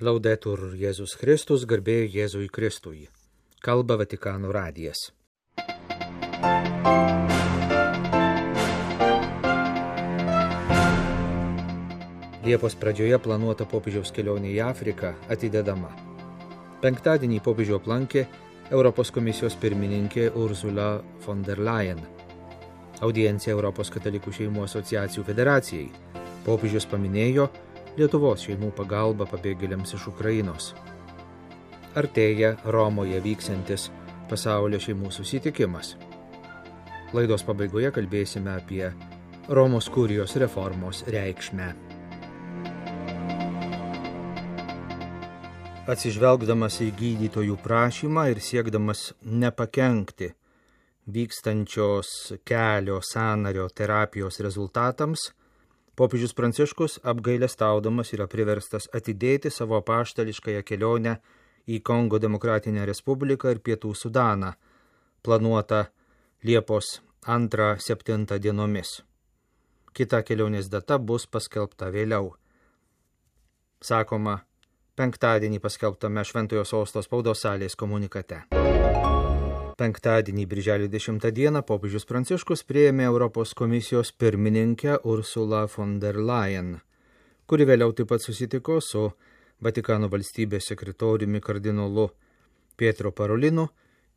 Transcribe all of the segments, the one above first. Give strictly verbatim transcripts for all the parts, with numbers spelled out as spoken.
Laudetur Jėzus Kristus, garbė Jėzui Kristui. Kalba Vatikano radijas. Liepos pradžioje planuota popiežiaus kelionė į Afriką atidedama. Penktadienį popiežių aplankė Europos komisijos pirmininkė Ursula von der Leyen. Audiencija Europos katalikų šeimų asociacijų federacijai. Popiežius paminėjo Lietuvos šeimų pagalba pabėgėliams iš Ukrainos. Artėja Romoje vyksiantis pasaulio šeimų susitikimas. Laidos pabaigoje kalbėsime apie Romos kurijos reformos reikšmę. Atsižvelgdamas į gydytojų prašymą ir siekdamas nepakenkti vykstančios kelio sąnario terapijos rezultatams, popiežius Pranciškus apgailestaudamas yra priverstas atidėti savo apaštališkąją kelionę į Kongo Demokratinę Respubliką ir Pietų Sudaną, planuota Liepos antrą septintą dienomis. Kita kelionės data bus paskelbta vėliau. Sakoma, penktadienį paskelbtame Šventojo Sosto spaudos salės komunikate. Penktadienį, birželio dešimtą dieną, popiežius Pranciškus priėmė Europos komisijos pirmininkę Ursulą von der Leyen, kuri vėliau taip pat susitiko su Vatikano valstybės sekretoriumi kardinolu Pietro Parolinu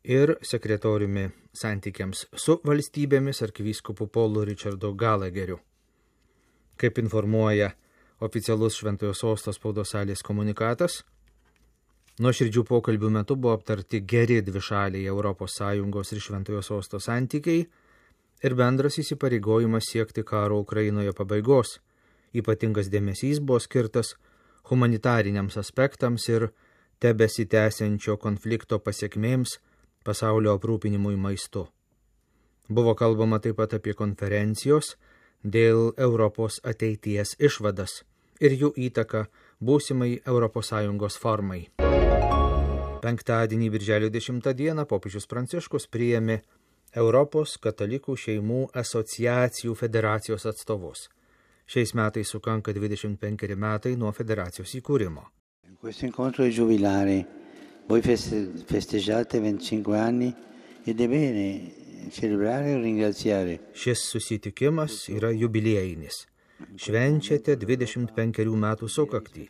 ir sekretoriumi santykiams su valstybėmis arkivyskupu Paulu Richardu Gallagheriu. Kaip informuoja oficialus Šventojo Sosto spaudos salės komunikatas, nuoširdžių pokalbių metu buvo aptarti geri dvišaliai Europos Sąjungos ir Šventojo Sosto santykiai ir bendras įsipareigojimas siekti karo Ukrainoje pabaigos. Ypatingas dėmesys buvo skirtas humanitariniams aspektams ir tebesitęsiančio konflikto pasekmėms pasaulio aprūpinimui maistu. Buvo kalbama taip pat apie konferencijos dėl Europos ateities išvadas ir jų įtaką būsimai Europos Sąjungos formai. Penktadienį, birželio dešimtą dieną, popiežius Pranciškus priėmė Europos katalikų šeimų asociacijų federacijos atstovus. Šiais metais sukanka dvidešimt penkeri metai nuo federacijos įkūrimo. Questo incontro è giubilare. Voi festeggiate venticinque anni ed è bene celebrare e ringraziare. Šis susitikimas yra jubiliejinis. Švenčiate dvidešimt penkerių metų sukaktį.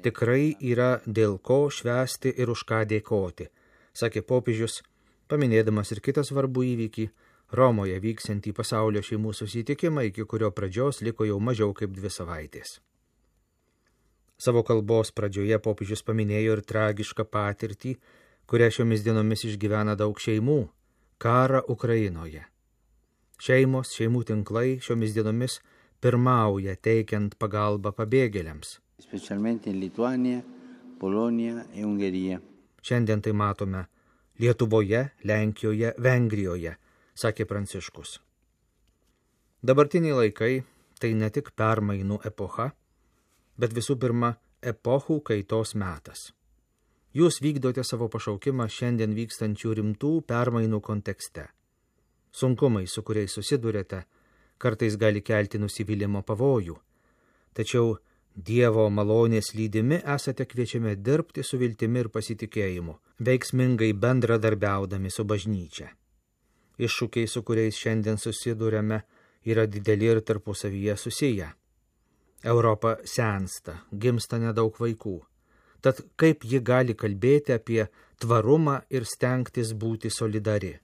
Tikrai yra dėl ko švęsti ir už ką dėkoti, sakė popiežius, paminėdamas ir kitą svarbų įvykį Romoje vyksiantį pasaulio šeimų susitikimą, iki kurio pradžios liko jau mažiau kaip dvi savaitės. Savo kalbos pradžioje popiežius paminėjo ir tragišką patirtį, kurią šiomis dienomis išgyvena daug šeimų – karą Ukrainoje. Šeimos, šeimų tinklai šiomis dienomis pirmauja teikiant pagalbą pabėgėliams. Specialmente in Lituania, Polonia e Ungherija. Šiandien tai matome Lietuvoje, Lenkijoje, Vengrijoje, sakė Pranciškus. Dabartiniai laikai tai ne tik permainų epocha, bet visų pirma epochų kaitos metas. Jūs vykdote savo pašaukimą šiandien vykstančių rimtų permainų kontekste. Sunkumai, su kuriais susidurėte, kartais gali kelti nusivylimo pavojų, tačiau Dievo malonės lydimi esate kviečiami dirbti su viltimi ir pasitikėjimu, veiksmingai bendradarbiaudami su bažnyčia. Iššūkiai, su kuriais šiandien susiduriame, yra dideli ir tarpusavyje susiję. Europa sensta, gimsta nedaug vaikų. Tad kaip ji gali kalbėti apie tvarumą ir stengtis būti solidari?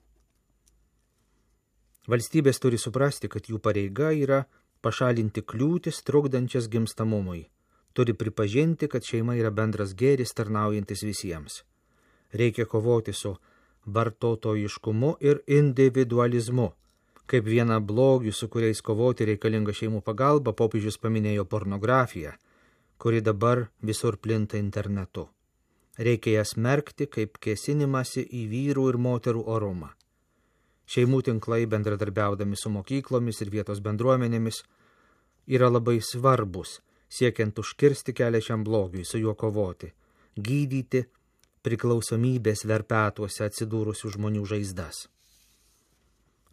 Valstybės turi suprasti, kad jų pareiga yra pašalinti kliūtis trukdančias gimstamumui. Turi pripažinti, kad šeima yra bendras gėris tarnaujantis visiems. Reikia kovoti su vartotojiškumu ir individualizmu. Kaip vieną blogių, su kuriais kovoti reikalinga šeimų pagalba, popiežius paminėjo pornografiją, kuri dabar visur plinta internetu. Reikia jas smerkti kaip kėsinimąsi į vyrų ir moterų orumą. Šeimų tinklai, bendradarbiaudami su mokyklomis ir vietos bendruomenėmis, yra labai svarbus, siekiant užkirsti kelią šiam blogiui, su juo kovoti, gydyti priklausomybės verpetuose atsidūrusių žmonių žaizdas.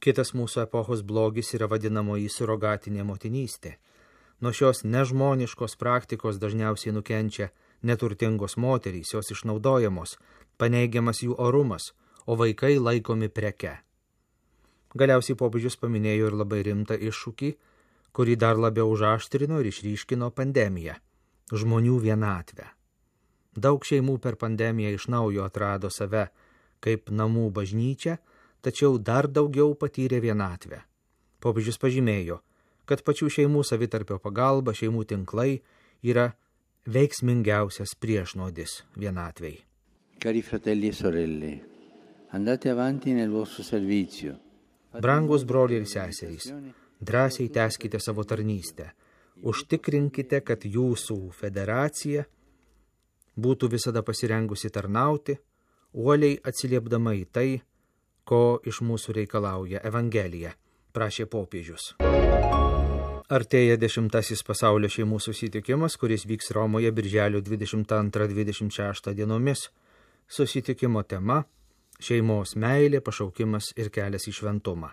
Kitas mūsų epochos blogis yra vadinamoji surogatinė motinystė. Nuo šios nežmoniškos praktikos dažniausiai nukenčia neturtingos moterys, jos išnaudojamos, paneigiamas jų orumas, o vaikai laikomi preke. Galiausiai popiežius paminėjo ir labai rimtą iššūkį, kurį dar labiau užaštrino ir išryškino pandemija – žmonių vienatvę. Daug šeimų per pandemiją iš naujo atrado save kaip namų bažnyčia, tačiau dar daugiau patyrė vienatvę. Popiežius pažymėjo, kad pačių šeimų savitarpio pagalba, šeimų tinklai yra veiksmingiausias priešnuodis vienatvei. Cari fratelli e sorelle, andate avanti nel vostro servizio. Brangus broliai ir seserys, drąsiai tęskite savo tarnystę. Užtikrinkite, kad jūsų federacija būtų visada pasirengusi tarnauti, uoliai atsiliepdama į tai, ko iš mūsų reikalauja Evangelija, prašė popiežius. Artėja dešimtasis pasaulio šeimų susitikimas, kuris vyks Romoje birželio dvidešimt antrą dvidešimt šeštą dienomis. Susitikimo tema – šeimos meilė, pašaukimas ir kelias į šventumą.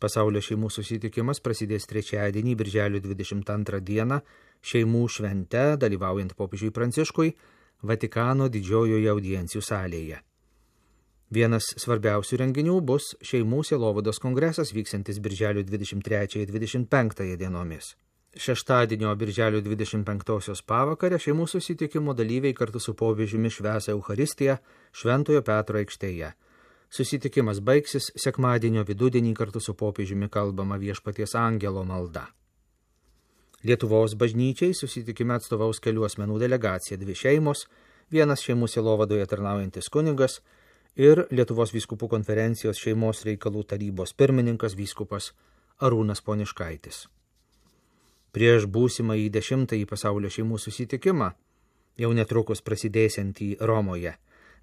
Pasaulio šeimų susitikimas prasidės trečiadienį, birželio dvidešimt antrą dieną, šeimų švente, dalyvaujant popiežiui Pranciškui, Vatikano didžiojoje audiencijų salėje. Vienas svarbiausių renginių bus šeimų sielovados kongresas, vyksantis birželio dvidešimt trečiąją dvidešimt penktąją dienomis. Šeštadienio birželio dvidešimt penktosios pavakarę šeimų susitikimo dalyviai kartu su popiežiumi švęs Eucharistiją Šventojo Petro aikštėje. Susitikimas baigsis sekmadienio vidudienį kartu su popiežiumi kalbama Viešpaties angelo malda. Lietuvos bažnyčiai susitikime atstovaus kelių asmenų delegacija, dvi šeimos, vienas šeimų sielovadoje tarnaujantis kunigas ir Lietuvos vyskupų konferencijos šeimos reikalų tarybos pirmininkas vyskupas Arūnas Poniškaitis. Prieš būsimą į dešimtąjį pasaulio šeimų susitikimą, jau netrukus prasidėsiantį Romoje,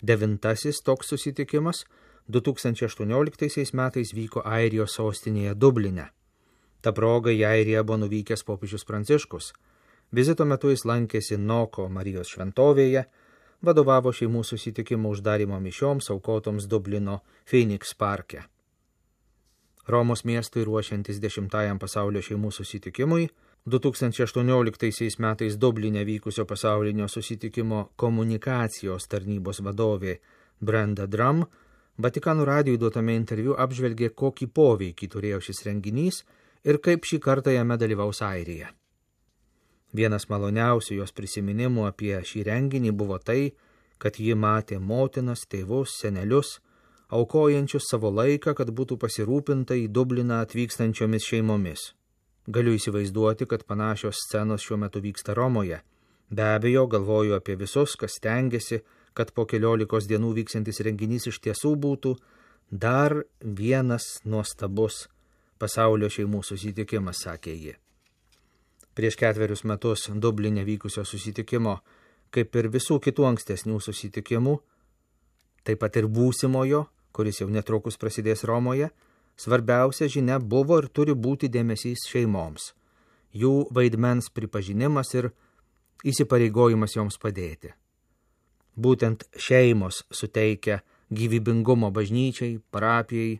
devintasis toks susitikimas du tūkstančiai aštuonioliktaisiais metais vyko Airijos sostinėje Dubline. Ta proga į Airiją buvo nuvykęs popiežius Pranciškus. Vizito metu jis lankėsi Noko Marijos šventovėje, vadovavo šeimų susitikimo uždarimo mišioms aukotoms Dublino Phoenix parke. Romos miestui ruošiantis dešimtajam pasaulio šeimų susitikimui, du tūkstančiai aštuonioliktaisiais metais Dubline vykusio pasaulinio susitikimo komunikacijos tarnybos vadovė Brenda Drum Vatikano radijui duotame interviu apžvelgė, kokį poveikį turėjo šis renginys ir kaip šį kartą jame dalyvaus Airija. Vienas maloniausių jos prisiminimų apie šį renginį buvo tai, kad ji matė motinas, tėvus, senelius, aukojančius savo laiką, kad būtų pasirūpinta į Dubliną atvykstančiomis šeimomis. Galiu įsivaizduoti, kad panašios scenos šiuo metu vyksta Romoje. Be abejo, galvoju apie visus, kas stengiasi, kad po keliolikos dienų vyksantis renginys iš tiesų būtų dar vienas nuostabus pasaulio šeimų susitikimas, sakė ji. Prieš ketverius metus Dubline vykusio susitikimo, kaip ir visų kitų ankstesnių susitikimų, taip pat ir būsimojo, kuris jau netrukus prasidės Romoje, svarbiausia žinia buvo ir turi būti dėmesys šeimoms, jų vaidmens pripažinimas ir įsipareigojimas joms padėti. Būtent šeimos suteikia gyvybingumo bažnyčiai, parapijai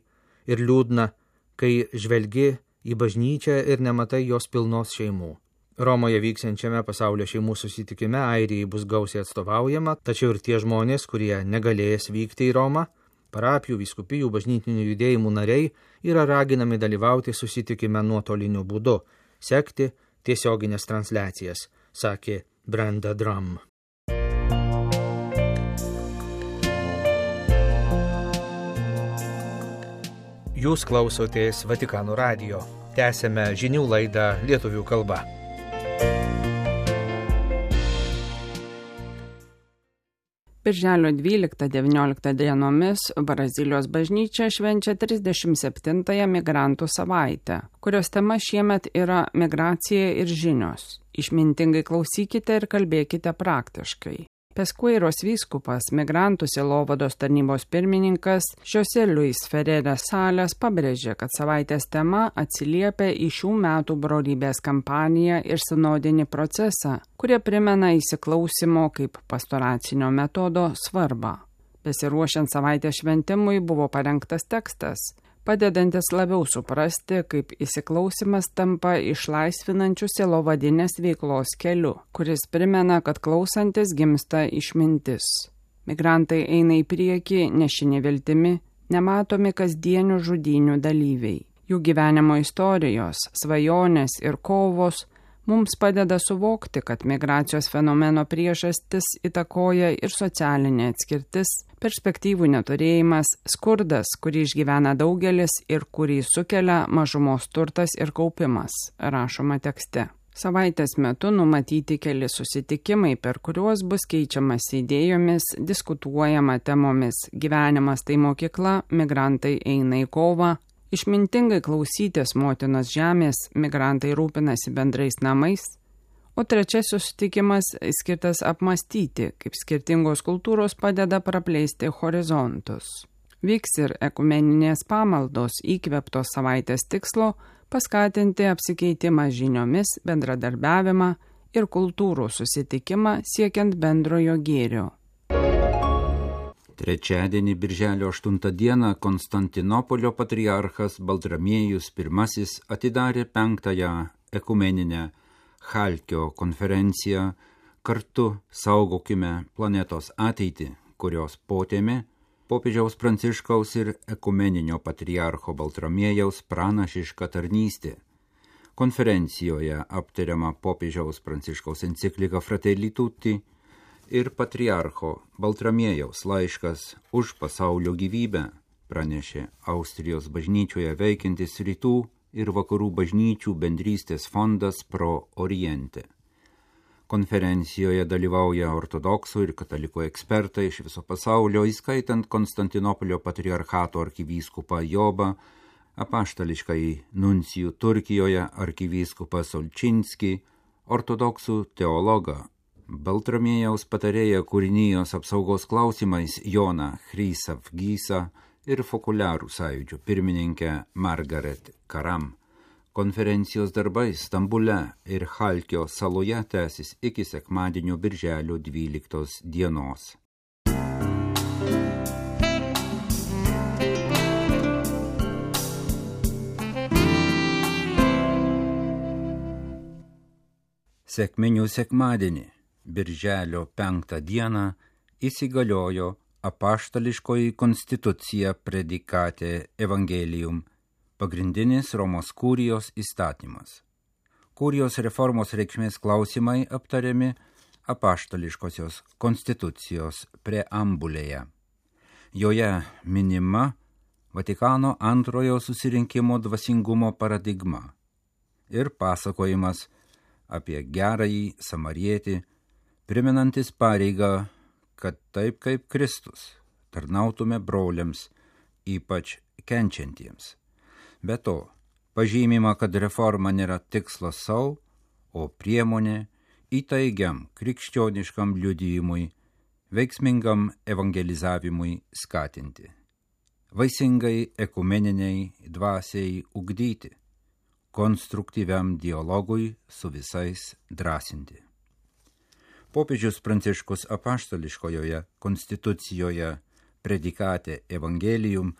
ir liūdna, kai žvelgi į bažnyčią ir nematai jos pilnos šeimų. Romoje vyksiančiame pasaulio šeimų susitikime Airijai bus gausiai atstovaujama, tačiau ir tie žmonės, kurie negalės vykti į Romą, parapijų, vyskupijų, bažnytinių judėjimų nariai yra raginami dalyvauti susitikime nuotoliniu būdu, sekti tiesioginės transliacijas, sakė Brenda Drum. Jūs klausotės Vatikano radijo. Tęsėme žinių laidą lietuvių kalba. Birželio dvyliktą devynioliktą dienomis Brazilijos bažnyčia švenčia trisdešimt septintąją migrantų savaitę, kurios tema šiemet yra migracija ir žinios. Išmintingai klausykite ir kalbėkite praktiškai. Peskueiros vyskupas, migrantų sielovados tarnybos pirmininkas José Luis Ferreras Salles pabrėžė, kad savaitės tema atsiliepia į šių metų brolybės kampaniją ir sinodinį procesą, kurie primena įsiklausimo kaip pastoracinio metodo svarbą. Besiruošiant savaitės šventimui buvo parengtas tekstas, padedantis labiau suprasti, kaip įsiklausimas tampa išlaisvinančių sielovadinės veiklos keliu, kuris primena, kad klausantis gimsta išmintis. Migrantai eina į priekį nešini viltimi, nematomi kasdienių žudynių dalyviai. Jų gyvenimo istorijos, svajonės ir kovos mums padeda suvokti, kad migracijos fenomeno priežastis įtakoja ir socialinė atskirtis, perspektyvų neturėjimas, skurdas, kurį išgyvena daugelis ir kurį sukelia mažumos turtas ir kaupimas, rašoma tekste. Savaitės metu numatyti keli susitikimai, per kuriuos bus keičiamas idėjomis, diskutuojama temomis gyvenimas tai mokykla, migrantai eina į kovą, išmintingai klausytis motinos žemės, migrantai rūpinasi bendrais namais, o trečiasis susitikimas skirtas apmastyti, kaip skirtingos kultūros padeda praplėsti horizontus. Vyks ir ekumeninės pamaldos įkvėptos savaitės tikslo paskatinti apsikeitimą žiniomis, bendradarbiavimą ir kultūrų susitikimą siekiant bendrojo gėrio. Trečiadienį birželio aštuntą dieną Konstantinopolio patriarchas Baltramiejus pirmasis atidarė penktąją ekumeninę Chalkio konferenciją Kartu saugokime planetos ateitį, kurios potėmė popiežiaus Pranciškaus ir ekumeninio patriarcho Baltramiejaus pranašiška tarnystė. Konferencijoje aptariama popiežiaus Pranciškaus enciklika Fratelli Tutti ir patriarcho Baltramiejaus laiškas už pasaulio gyvybę, pranešė Austrijos bažnyčioje veikiantis rytų ir vakarų bažnyčių bendrystės fondas Pro Oriente. Konferencijoje dalyvauja ortodoksų ir katalikų ekspertai iš viso pasaulio, įskaitant Konstantinopolio patriarchato arkivyskupą Jobą, apaštališkąjį nuncijų Turkijoje arkivyskupą Solčinskį, ortodoksų teologą, Baltramiejaus patarėją kūrinijos apsaugos klausimais Joną Chrysavgysą ir Fokuliarų sąjūdžio pirmininkę Margaret Karam. Konferencijos darbai Stambule ir Chalkio saloje tęsis iki sekmadienio birželio dvyliktos dienos. Sekminių sekmadienį, birželio penktą dieną, įsigaliojo apaštališkoji konstitucija Predikate Evangelium, pagrindinis Romos kurijos įstatymas. Kurijos reformos reikšmės klausimai aptariami apaštališkosios konstitucijos preambulėje. Joje minima Vatikano antrojo susirinkimo dvasingumo paradigma ir pasakojimas apie gerąjį samarietį, primenantis pareigą, kad taip kaip Kristus tarnautume broliams, ypač kenčiantiems. Be to, pažymima, kad reforma nėra tikslas sau, o priemonė įtaigiam krikščioniškam liudijimui, veiksmingam evangelizavimui skatinti, vaisingai ekumeniniai dvasiai ugdyti, konstruktyviam dialogui su visais drąsinti. Popiežius Pranciškus apaštališkojoje konstitucijoje Predikate Evangelium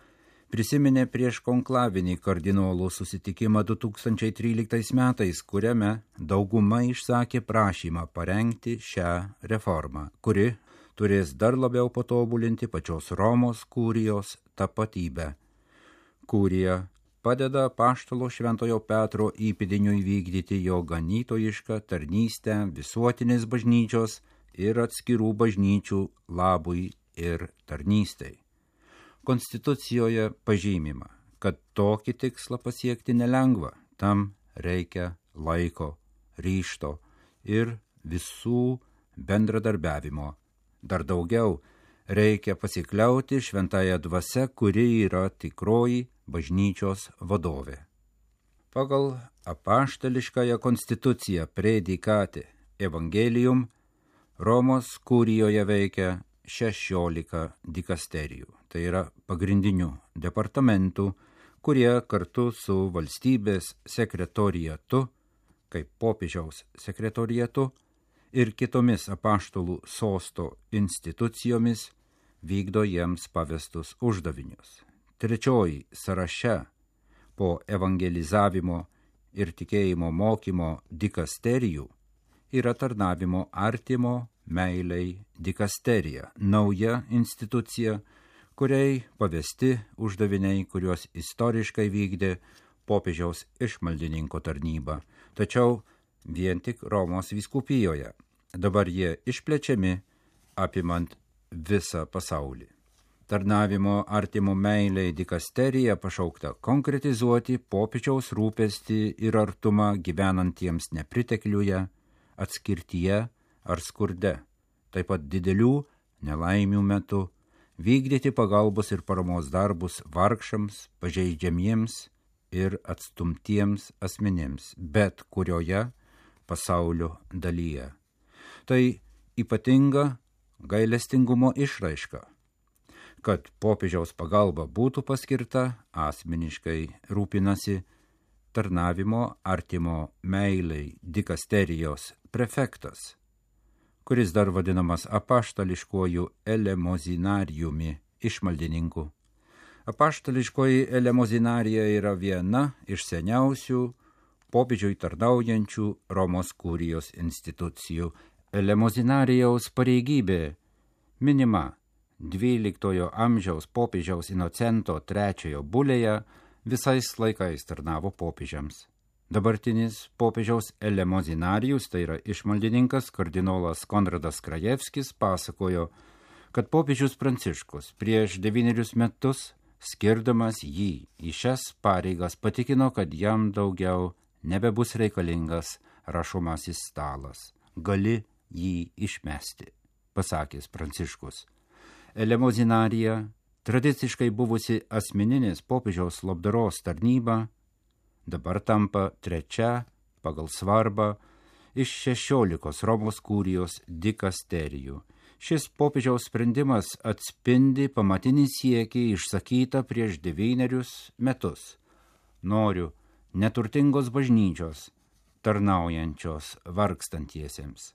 prisiminė prieš konklavinį kardinolų susitikimą du tūkstančiai tryliktais metais, kuriame dauguma išsakė prašymą parengti šią reformą, kuri turės dar labiau patobulinti pačios Romos kurijos tapatybę. Kurija padeda apaštalo Šventojo Petro įpėdiniui vykdyti jo ganytojišką tarnystę visuotinės bažnyčios ir atskirų bažnyčių labui ir tarnystei. Konstitucijoje pažymima, kad tokį tikslą pasiekti nelengva, tam reikia laiko, ryžto ir visų bendradarbiavimo. Dar daugiau, reikia pasikliauti šventąją dvasią, kuri yra tikroji bažnyčios vadovė. Pagal apaštališkąją konstituciją Predikate Evangelium Romos kurijoje veikia šešiolika dikasterijų, tai yra pagrindinių departamentų, kurie kartu su valstybės sekretoriatu, kaip popiežiaus sekretoriatu ir kitomis apaštalų sosto institucijomis vykdo jiems pavestus uždavinius. trečioji sąraše po evangelizavimo ir tikėjimo mokymo dikasterijų yra tarnavimo artimo meiliai dikasterija, nauja institucija, kuriai pavesti uždaviniai, kuriuos istoriškai vykdė popiežiaus išmaldininko tarnyba, tačiau vien tik Romos vyskupijoje. Dabar jie išplečiami, apimant visą pasaulį. Tarnavimo artimo meiliai dikasterija pašaukta konkretizuoti popiežiaus rūpestį ir artumą gyvenantiems nepritekliuje, atskirtyje ar skurde, taip pat didelių nelaimių metu, vykdyti pagalbos ir paramos darbus vargšams, pažeidžiamiems ir atstumtiems asmenims, bet kurioje pasaulio dalyje. Tai ypatinga gailestingumo išraiška, kad popiežiaus pagalba būtų paskirta, asmeniškai rūpinasi tarnavimo artimo meiliai dikasterijos prefektas, kuris dar vadinamas apaštališkuoju elemozinariumi išmaldininku. Apaštališkoji elemozinarija yra viena iš seniausių popiežiui tarnaujančių Romos kurijos institucijų. Elemozinarijaus pareigybė minima dvyliktojo amžiaus popiežiaus Inocento trečiojo bulėje, visais laikais tarnavo popiežiams. Dabartinis popiežiaus elemozinarius, tai yra išmaldininkas kardinolas Konradas Krajevskis, pasakojo, kad popiežius Pranciškus prieš devynerius metus, skirdamas jį į šias pareigas, patikino, kad jam daugiau nebebus reikalingas rašomasis stalas. Gali jį išmesti, pasakęs Pranciškus. Elemozinarija, tradiciškai buvusi asmeninės popiežiaus labdaros tarnyba, dabar tampa trečia pagal svarbą iš šešiolikos Romos kurijos dikasterijų. Šis popiežiaus sprendimas atspindi pamatinį siekį išsakytą prieš devynerius metus. Noriu neturtingos bažnyčios, tarnaujančios vargstantiesiems.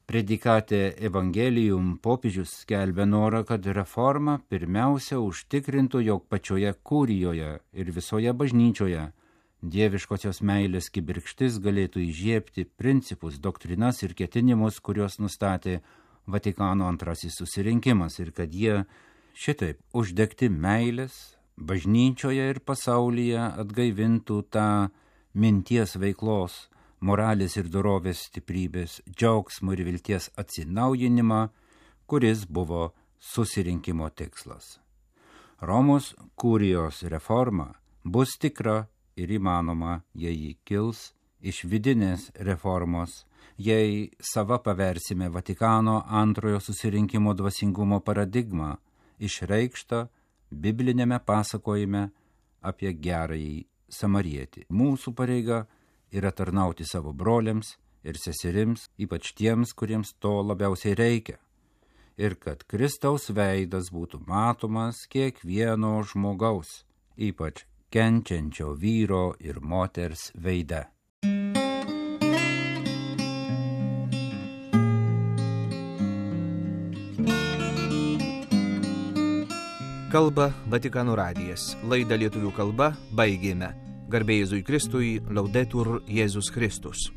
Predikate Evangelium popiežius skelbia norą, kad reforma pirmiausia užtikrintų, jog pačioje kurijoje ir visoje bažnyčioje dieviškosios meilės kibirkštis galėtų įžiebti principus, doktrinas ir ketinimus, kuriuos nustatė Vatikano antrasis susirinkimas, ir kad jie šitaip uždegti meilės bažnyčioje ir pasaulyje atgaivintų tą minties veiklos, moralės ir dorovės stiprybės, džiaugsmo ir vilties atsinaujinimą, kuris buvo susirinkimo tikslas. Romos kurijos reforma bus tikra ir įmanoma, jei ji kils iš vidinės reformos, jei sava paversime Vatikano antrojo susirinkimo dvasingumo paradigmą, išreikštą biblinėme pasakojime apie gerąjį samarietį. Mūsų pareiga yra tarnauti savo broliams ir seserims, ypač tiems, kuriems to labiausiai reikia, ir kad Kristaus veidas būtų matomas kiekvieno žmogaus, ypač kenčiančio vyro ir moters veide. Kalba Vatikano radijas. Laidą lietuvių kalba baigėme. Garbė Jėzui Kristui, Laudetur Jėzus Kristus.